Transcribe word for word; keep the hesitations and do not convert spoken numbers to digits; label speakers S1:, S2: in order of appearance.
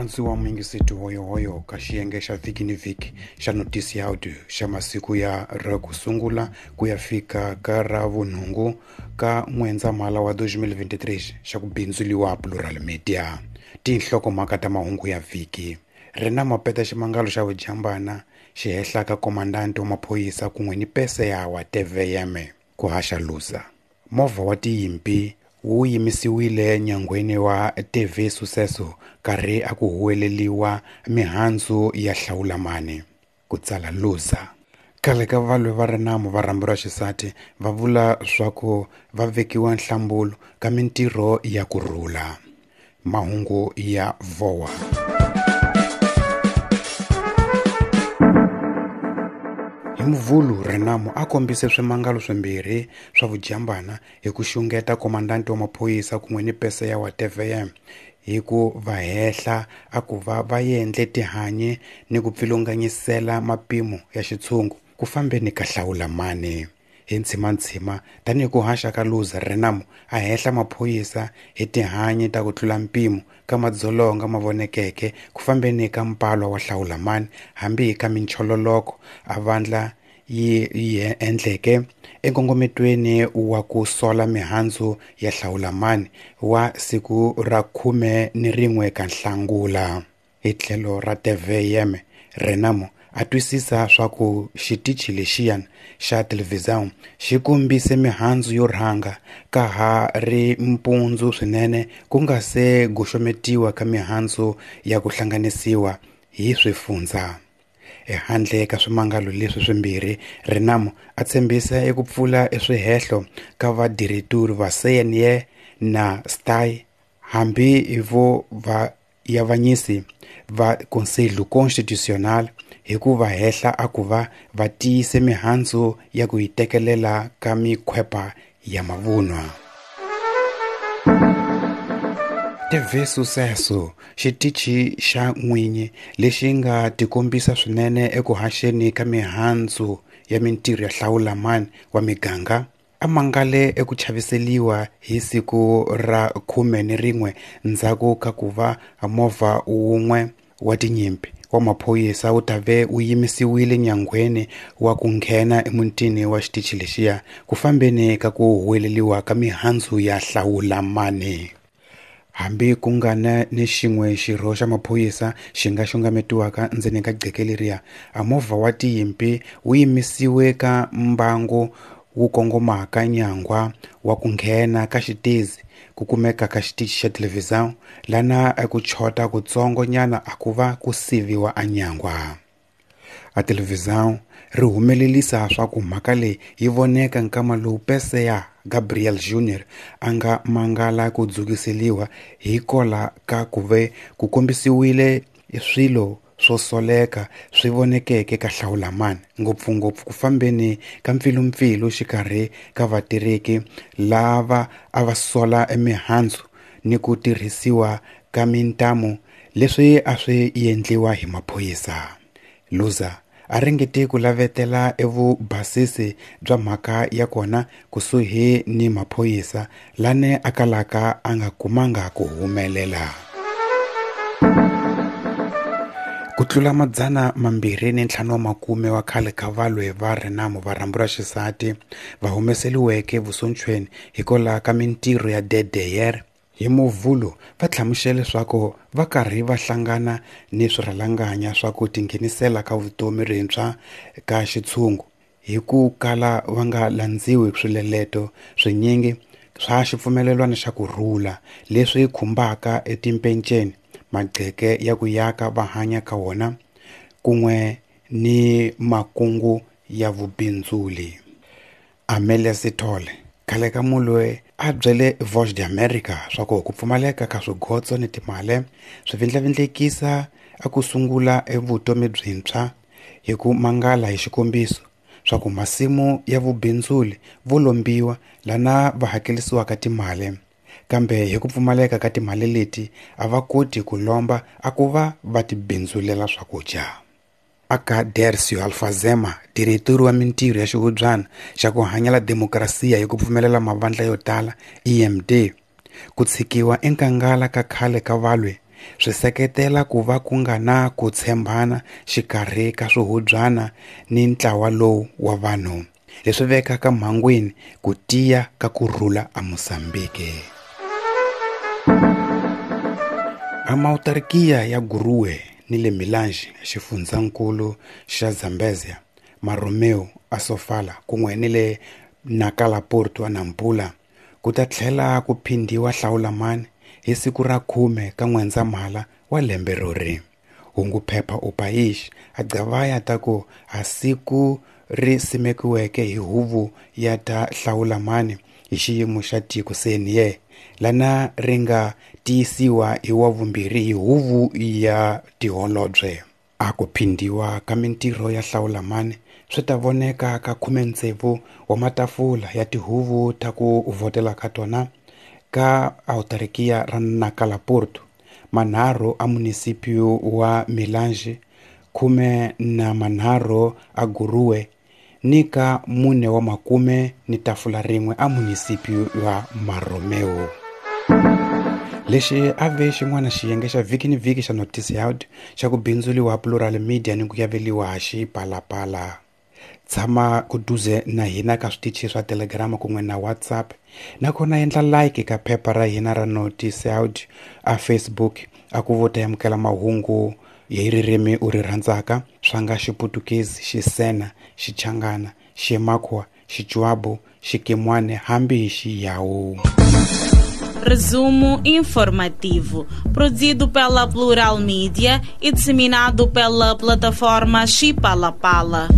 S1: Murhandziwa muyingiseti hoyohoyo ka xiyenge xa vhiki ni vhiki xa notisi ya audio xa masiku ya ra ku sungula ku ya fika ka ra vunhungu ka N'wendzamhala wa twenty twenty-three xa ku bindzuliwa Plural Media. Tinhlokomhaka ta mahungu ya vhiki. Ri na mapeta ximangalo xa vujambana xi hehlaka komandante wa maphorisa kun'we ni pese ya wa T V M ku haxa Luza. Movha wa tiyimpi wu yimisiwile nyangweni wa T V Sucesso karhi a ku huweleliwa mihandzu ya hlawulamani ku tsala Luza. Khale ka valwe va Renamo va rhambu ra xisati va vula swa ku va vekiwa nhlambulo ka mintirho ya kurhula. Mahungu ya V O A. Hi Muvhulu Renamo a kombise swimangalo swimbirhi swa vujambana hi ku xungeta komandante wa maphorisa kun'we ni pese ya wa T V M hi ku va hehla a ku va va endle tihanyi ni ku pfilunganyisela mapimo ya xitshungu ku fambeni ka hlawulamani. Hi ntshimantshima tanihi ku haxa ka Luza, Renamo a hehla maphorisa hi tihanyi ta ku tlula mpimo ka madzolonga ma vonekeke ku fambeni ka mpalwa wa hlawulamani hambi ka minchololoko a vandla yi yi endleke enkongometweni wa ku sola mihandzu ya hlawulamani wa siku ra khume ni rin'we ka Nhlangula. Hi tlhelo ra T V M, Renamo a twisisa swa ku xitichi lexiyana xa televhizão xi kombise mihandzu yo rhanga ka ha ri mpundzu swinene ku nga se goxometiwa ka mihandzu ya ku hlanganisiwa hi swifundza. Ehandle ka swimangalo leswi swimbirhi, Renamo a tshembisa eku pfula eswihehlo ka vadireturi va C N E na S T A I hambi vo va yavanyisi va Conselho Constitucional hi ku va hehla a ku va va tiyise mihandzu ya ku yi tekelela ka mikhwepa ya mavunwa. T V Sucesso, xitichi xa n'winyi lexi nga tikombisa swinene eku haxeni ka mihandzu ya mintirho ya hlawulamani wa miganga, a mangale eku chaviseliwa hi siku ra khume ni rin'we ndzhaku ka ku va movha wun'we wa tinyimpi wa maphorisa wu ta ve wu yimisiwile nyangweni wa ku nghena emutini wa xitichi lexiya ku fambeni ka ku huweleliwa ka mihandzu ya hlawulamani. Hambi ku nga na ni xin'we xirho xa maphorisa xi nga xungametiwaka ndzeni ka gqeke leriya, a movha wa tiyimpi wu yimisiwe ka mbangu wu kongomaka nyangwa wa ku nghena ka xitezi ku kumeka ka xitichi xa televhizão lana eku chota kutsongo nyana a ku va ku siviwa a nyangwa. A televhizão ri humelelisa swa ku mhaka leyi yi voneka nkama lowu pese ya Gabriel Junior a nga mangala ku dzukiseliwa hi kola ka ku ve ku kombisiwile swilo swo soleka swi vonekeke ka hlawulamani ngopfungopfu ku fambeni ka mpfilumpfilu xikarhi ka vatirheki lava a va sola emihandzu ni ku tirhisiwa ka mintamu leswi a swi endliwa hi maphorisa. Luza a ringete ku lavetela evubasisi bya mhaka ya kona kusuhi ni maphorisa lane a kalaka a nga kumanga ku humelela. Ku tlula madzana mambirhi ni ntlhanu wa makume wa khale ka valwe va Renamo va rhambu ra xisati va humeseliweke vusontshweni hikwalaho ka mintirho ya D D R hi Muvhulu va hlamusele leswaku va karhi va hlangana ni swirhalanganya swa ku tinghenisela ka vutomi rintshwa ka xitshungu hi ku kala va nga landziwi swileleto swinyingi swa xipfumelelwano xa kurhula leswi khumbaka etimpenceni magqeke ya ku yaka va hanya ka wona kun'we ni makungu ya vubindzuli. Amelia Sithole khale ka mulwe a byele Voice of America swa ku ku pfumaleka ka swigotso ni timali swi vindlavindlekisa a ku sungula evutomi byintshwa hi ku mangala hi xikombiso swa ku masimu ya vubindzuli vo lombiwa lana va hakelisiwaka timali kambe hi ku pfumaleka ka timali leti a va koti ku lomba a ku va va tibindzulela swakudya. Aka Dercio Alfazema, diretori wa mintirho ya xihubyana xa ku hanyela demokrasiya hi ku pfumelela mavandla yo tala E M D, ku tshikiwa enkangala ka khale ka valwe Swi seketela ku va ku nga na ku tshembana xikarhi ka swihubyana ni ntlawa lowu wa vanhu, leswi vekaka mhangwini ku tiya ka ku rhula eMozambique. Amautarkia ya Guruwe ni le Milange, xifundzankulu xa Zambezia, Maromeo a Sofala kun'we ni le Nacala Porto a Nampula, ku ta tlhela ku phindhiwa hlawulamani hi siku ra khume ka N'wendzamhala wa lembe rori. Hunguphepha O País a gqavaya ta ku a siku ri simekiweke hi huvo ya ta hlawulamani hi xiyimo xa tiko C N E, lana ri nga tiyisiwa hi wa vumbirhi hi huvo ya tiholobye. A ku phindhiwa ka mintirho ya hlawulamani swi ta voneka ka khume tsevu wa matafula ya tihuvo ta ku vhotela ka tona ka autarkia ra Nacala Porto, manharhu a munisipio wa Milange, khume na manharhu a Guruwe ni ka mune wa makume ni tafula rin'we a munisipio wa Maromeo. Lexi a ve xin'wana xiyenge xa vhiki ni vhiki xa Noticiado xa ku bindzuriwa Plural Media ni ku yaveliwa Xipalapala. Tshama kuduze na hina ka switichi swa Telegram kun'we na WhatsApp, nakona endla like ka phepha ra hina ra Noticiado a Facebook a ku vota amukela mahungu hi ririmi u ri rhandzaka swa nga Xiputukezi, Xisena, Xichangana, Ximakwa, Xichuabu, Xikimwane hambi hi Xiyawu.
S2: Resumo informativo, produzido pela Plural Mídia e disseminado pela plataforma Xipalapala.